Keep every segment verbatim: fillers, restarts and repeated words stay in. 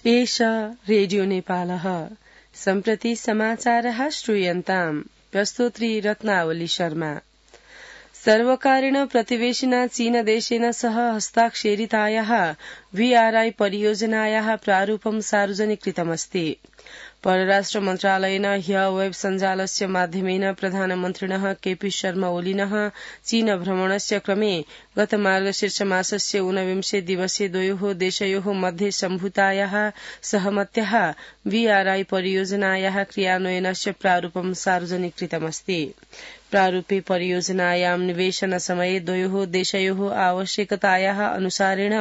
एष रेडियो नेपालः सम्प्रति समाचारः श्रूयन्ताम् प्रस्तोत्री रत्नावली शर्मा। सर्वकारेण प्रतिवेशिना चीनदेशेन सह हस्ताक्षरितायाः वीआरआई परियोजनायाः प्रारूपं सार्वजनिकृतमस्ति। परराष्ट्र मन्त्रालयेन ह्य वेब सञ्जालस्य माध्यमेन प्रधानमन्त्रिणः केपी शर्मा ओलिनः चीन भ्रमणस्य क्रमे गत मार्गशीर्ष मासस्य ऊनविंशे दिवसे द्वयोः देशयोः मध्ये सम्भूतायाः सहमत्याः वीआरआई परियोजनायाः क्रियान्वयनस्य प्रारूपं सार्वजनिकृतमस्ति। प्रारूपे परियोजनायां निवेशन समये द्वयोः देशयोः आवश्यकतायाः अनुसारेण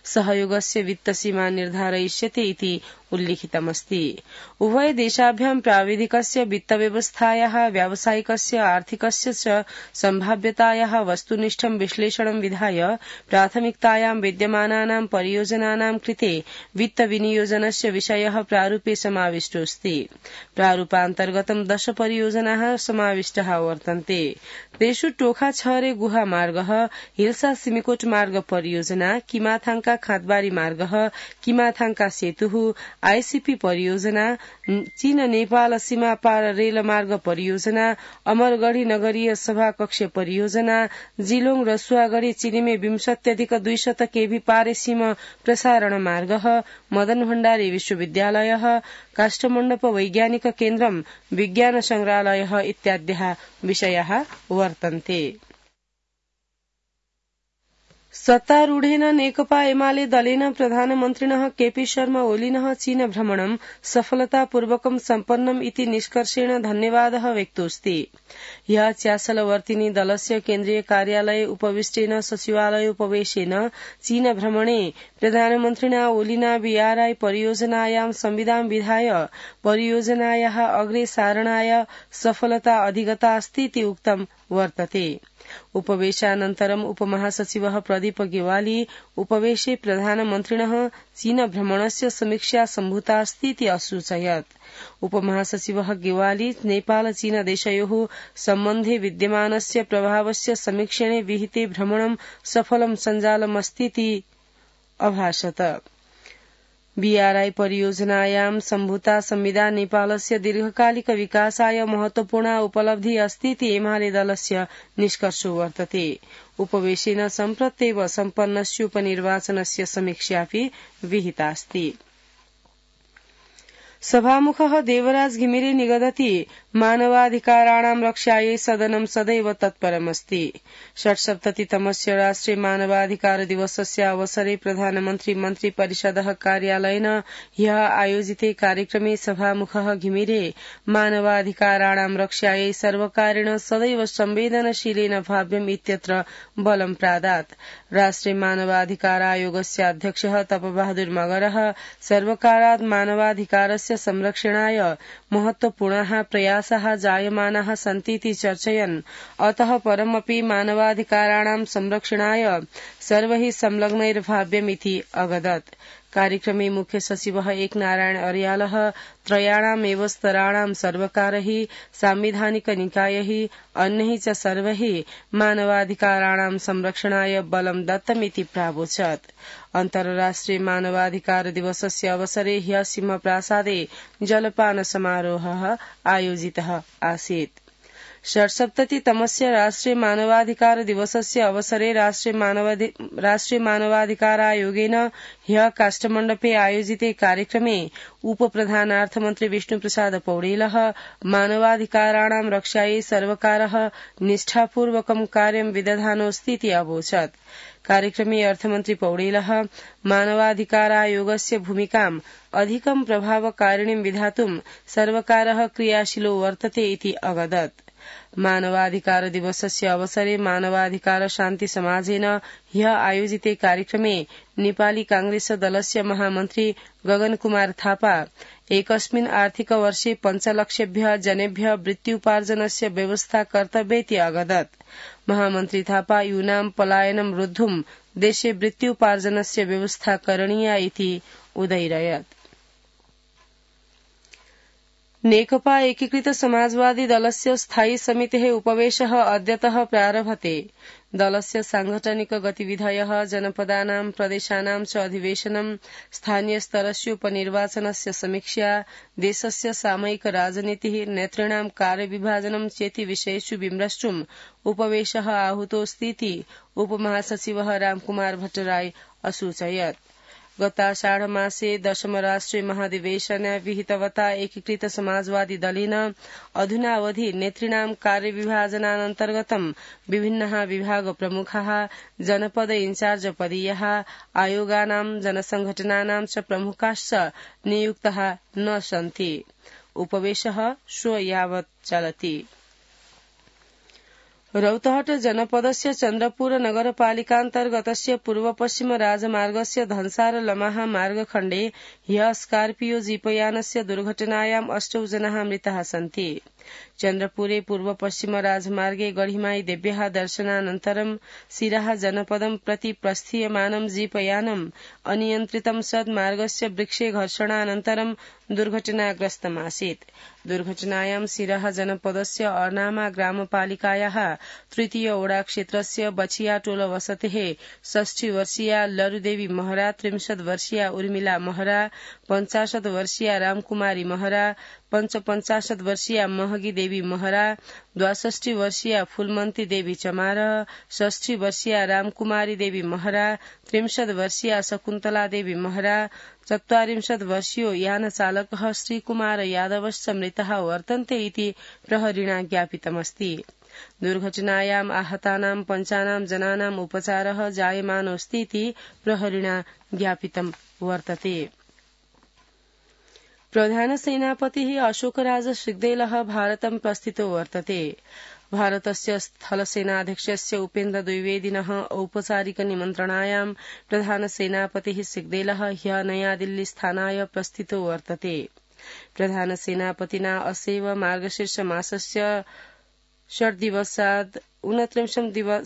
सहयोगस्य वित्तसीमा निर्धारयिष्यते इति उल्लिखितमस्ति। उभय देशाभ्यां प्राविधिकस्य वित्तव्यवस्थायाः व्यावसायिकस्य आर्थिकस्य च सम्भाव्यतायाः वस्तुनिष्ठं विश्लेषणं विधाय प्राथमिकतायां विद्यमानानां परियोजनानां कृते वित्तविनियोजनस्य विषयः प्रारूपे समाविष्टोऽस्ति। प्रारूपान्तर्गतं दश परियोजनाः समाविष्टाः वर्तन्ते। तेषु टोखा छहरे गुहा मार्गः, हिल्सा सिमिकोट मार्ग परियोजना, किमाथाङका खाँदबारी मार्गः, किमाथाङका सेतुः, आईसीपी परियोजना, चीन नेपाल सीमा पार रेल मार्ग परियोजना, अमरगढ़ी नगरीय सभा कक्ष परियोजना, जिलोङ रसुवागढ़ी चिलिमे विंशत्यधिक दुईशत केभी पारे सीमा प्रसारण मार्गः, मदन भण्डारी विश्वविद्यालयः, काष्ठमण्डप वैज्ञानिक केन्द्रं, विज्ञान संग्रहालयः इत्याद्याः विषयाः वर्तन्ते। सत्तारूढेन नेकपा एमाले दलेन प्रधानमन्त्रिणः केपी शर्मा ओलिनः चीन भ्रमणं सफलतापूर्वकं सम्पन्नम् इति निष्कर्षेण धन्यवादः व्यक्तोऽस्ति। ह्यः च्यासलवर्तिनी दलस्य केन्द्रीय कार्यालये उपविष्टेन सचिवालयोपवेशेन चीन भ्रमणे प्रधानमन्त्रिणा ओलिना वीआरआई परियोजनायां संविधान विधाय परियोजनायाः अग्रे सारणाय सफलता अधिगता अस्ति इति उक्तं वर्तते। उपवेशानन्तरम् उपमहासचिवः प्रदीप गेवाली उपवेशे प्रधानमन्त्रिणः चीन भ्रमणस्य समीक्षा सम्भूता अस्ति इति असूचयत्। उपमहासचिवः गेवाली नेपाल चीन देशयोः सम्बन्धे विद्यमानस्य प्रभावस्य समीक्षणे विहिते भ्रमणं सफलं सञ्जालमस्तीति अभाषत। बीआरआई परियोजनायां सम्भूता संविदा नेपालस्य दीर्घकालिक विकासाय महत्वपूर्णा उपलब्धि अस्ति इति एमाले दलस्य निष्कर्षो वर्तते। उपवेशेन सम्प्रत्येव सम्पन्नस्य उपनिर्वाचनस्य समीक्षापि विहितास्ति। सभामुखः देवराज घिमिरे निगदति मानवाधिकाराणां रक्षायै सदनं सदैव तत्परमस्ति। षट्सप्ततितमस्य राष्ट्रिय मानवाधिकार दिवसस्य अवसरे प्रधानमन्त्री मन्त्री परिषदः कार्यालयेन ह्यः आयोजिते कार्यक्रमे सभामुखः घिमिरे मानवाधिकाराणां रक्षायै सर्वकारेण सदैव संवेदनशीलेन भाव्यम् इत्यत्र बलं प्रादात्। राष्ट्रिय मानवाधिकार आयोगस्य अध्यक्षः तपबहादुर मगरः सर्वकारात् मानवाधिकारस्य संरक्षणाय महत्वपूर्णाः प्रयासाः जायमानाः सन्तीति चर्चयन् अतः परमपि मानवाधिकाराणां संरक्षणाय सर्वैः संलग्नैर्भाव्यमिति अगदत्। कार्यक्रमे मुख्य सचिवः एकनारायण अर्यालः त्रयाणामेव स्तराणां सर्वकारैः सांविधानिक निकायैः अन्यैः च सर्वैः मानवाधिकाराणां संरक्षणाय बलं दत्तमिति प्रावोचत्। अन्तर्राष्ट्रिय मानवाधिकार दिवसस्य अवसरे ह्यः सिंहप्रासादे जलपान समारोहः आयोजितः आसीत्। षट्सप्ततितमस्य राष्ट्रिय मानवाधिकार दिवसस्य अवसरे राष्ट्रिय मानवाधिकार आयोगेन ह्यः काष्ठमण्डपे आयोजिते कार्यक्रमे उपप्रधानार्थमन्त्री विष्णुप्रसाद पौडेलः मानवाधिकाराणां रक्षायै सर्वकारः निष्ठापूर्वकं कार्यं विदधानोऽस्ति इति अवोचत्। कार्यक्रमे अर्थमन्त्री पौडेलः मानवाधिकार आयोगस्य भूमिकाम् अधिकं प्रभावकारिणीं विधातुं सर्वकारः क्रियाशीलो वर्तते इति अगदत्। मानवाधिकार दिवसस्य अवसरे मानवाधिकार शान्ति समाजेन ह्यः आयोजिते कार्यक्रमे नेपाली कांग्रेस दलस्य महामन्त्री गगन कुमार थापा एकस्मिन् आर्थिक वर्षे पञ्चलक्षेभ्यः जनेभ्यः वृत्त्युपार्जनस्य व्यवस्था कर्तव्येति अगदत्। महामन्त्री थापा यूनां पलायनं रोद्धुं देशे वृत्त्युपार्जनस्य व्यवस्था करणीया इति उदयिरयत्। नेकपा एकीकृत समाजवादी दलस्य स्थायी समितेः उपवेशः अद्यतः प्रारभते। दलस्य सांगठनिक गतिविधयः जनपदानां प्रदेशानां च अधिवेशनं स्थानीयस्तरस्य उपनिर्वाचनस्य समीक्षा देशस्य सामयिक राजनीतिः नेतॄणां कार्यविभाजनं चेति विषयेषु विमृष्टुम् उपवेशः आहूतोऽस्तीति उपमहासचिवः रामकुमार भट्टराई असूचयत्। गताषाढमासे दशमराष्ट्रिय महाधिवेशने विहितवता एकीकृत समाजवादी दलेन अधुनावधि नेतॄणां कार्यविभाजनानन्तर्गतं विभिन्नः विभाग प्रमुखाः जनपद इन्चार्ज पदीयाः आयोगानां जनसंघटनानां च प्रमुखाश्च नियुक्ताः न सन्ति। उपवेशः श्वः यावत् चलति। रौतहट जनपदस्य चन्द्रपुर नगरपालिकान्तर्गतस्य पूर्व पश्चिम राजमार्गस्य धनसार लमाहा मार्गखण्डे ह्यः स्कार्पियो जीपयानस्य दुर्घटनायाम् अष्टौ जनाः मृताः सन्ति। चन्द्रपुरे पूर्व पश्चिम राजमार्गे गढिमाई देव्याः दर्शनानन्तरं सिराहा जनपदं प्रति प्रस्थीयमानं जीपयानम् अनियन्त्रितं सद् मार्गस्य वृक्षे घर्षणानन्तरं दुर्घटनाग्रस्तमासीत्। दुर्घटनायां सिराहा जनपदस्य अर्नामा ग्रामपालिकायाः तृतीय ओडा क्षेत्रस्य बछियाटोल वसतेः षष्ठी वर्षीया लरुदेवी महरा, त्रिंशत् वर्षीया उर्मिला महरा, पञ्चाशत् वर्षीया रामकुमारी महरा, पञ्चपञ्चाशत् वर्षीया महगी देवी महरा, द्वाषष्ठी वर्षीया फूलमन्ती देवी चमार, षष्ठी वर्षीया रामकुमारी देवी महरा, त्रिंशत् वर्षीया शकुन्तला देवी महरा, चत्वारिंशत् वर्षीयो यानचालकः श्रीकुमार यादवश्च मृतः वर्तन्ते इति प्रहरिणा ज्ञापितमस्ति। दुर्घटनायाम् आहतानां पञ्चानां जनानाम् उपचारः जायमानोऽस्ति इति प्रहरिणा ज्ञापितं वर्तते। प्रधानसेनापतिः अशोकराज श्रीग्देलः भारतं प्रस्थितो वर्तते। भारतस्य स्थलसेनाध्यक्षस्य उपेन्द्र द्विवेदिनः औपचारिक निमन्त्रणायां प्रधानसेनापतिः श्रीग्देलः ह्यः नयादिल्लीस्थानाय प्रस्थितो वर्तते। प्रधानसेनापतिना असैव मार्गशीर्ष मासस्य षड्दिवसात्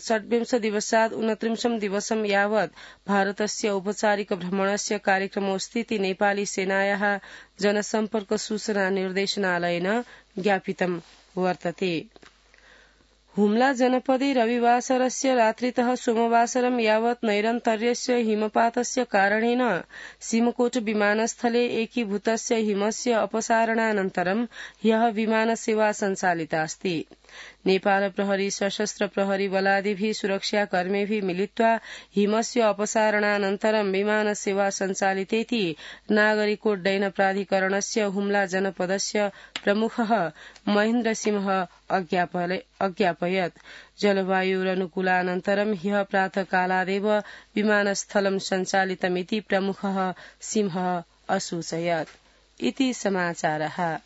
षड्विंश दिवसात् ऊनत्रिंशं दिवसं यावत् भारतस्य औपचारिक भ्रमणस्य कार्यक्रमोऽस्तीति नेपाली सेनायाः जनसम्पर्क सूचना निर्देशनालयेन ज्ञापितं वर्तते। हुम्ला जनपदे रविवासरस्य रात्रितः सोमवासरं यावत् नैरन्तर्यस्य हिमपातस्य कारणेन सिमकोट विमानस्थले एकीभूतस्य हिमस्य अपसारणानन्तरं ह्यः विमानसेवा सञ्चालिता अस्ति। नेपाल प्रहरी सशस्त्र प्रहरी बलादिभिः सुरक्षाकर्मिभिः मिलित्वा हिमस्य अपसारणानन्तरं विमानसेवा सञ्चालितेति नागरिकोड्डयन प्राधिकरणस्य हुम्ला जनपदस्य प्रमुखः महेन्द्रसिंह अज्ञापयत्। जलवायुरनुकूलानन्तरं ह्यः प्रातःकालादेव विमानस्थलं सञ्चालितमिति प्रमुखः सिंहः असूचयत्। इति समाचारः।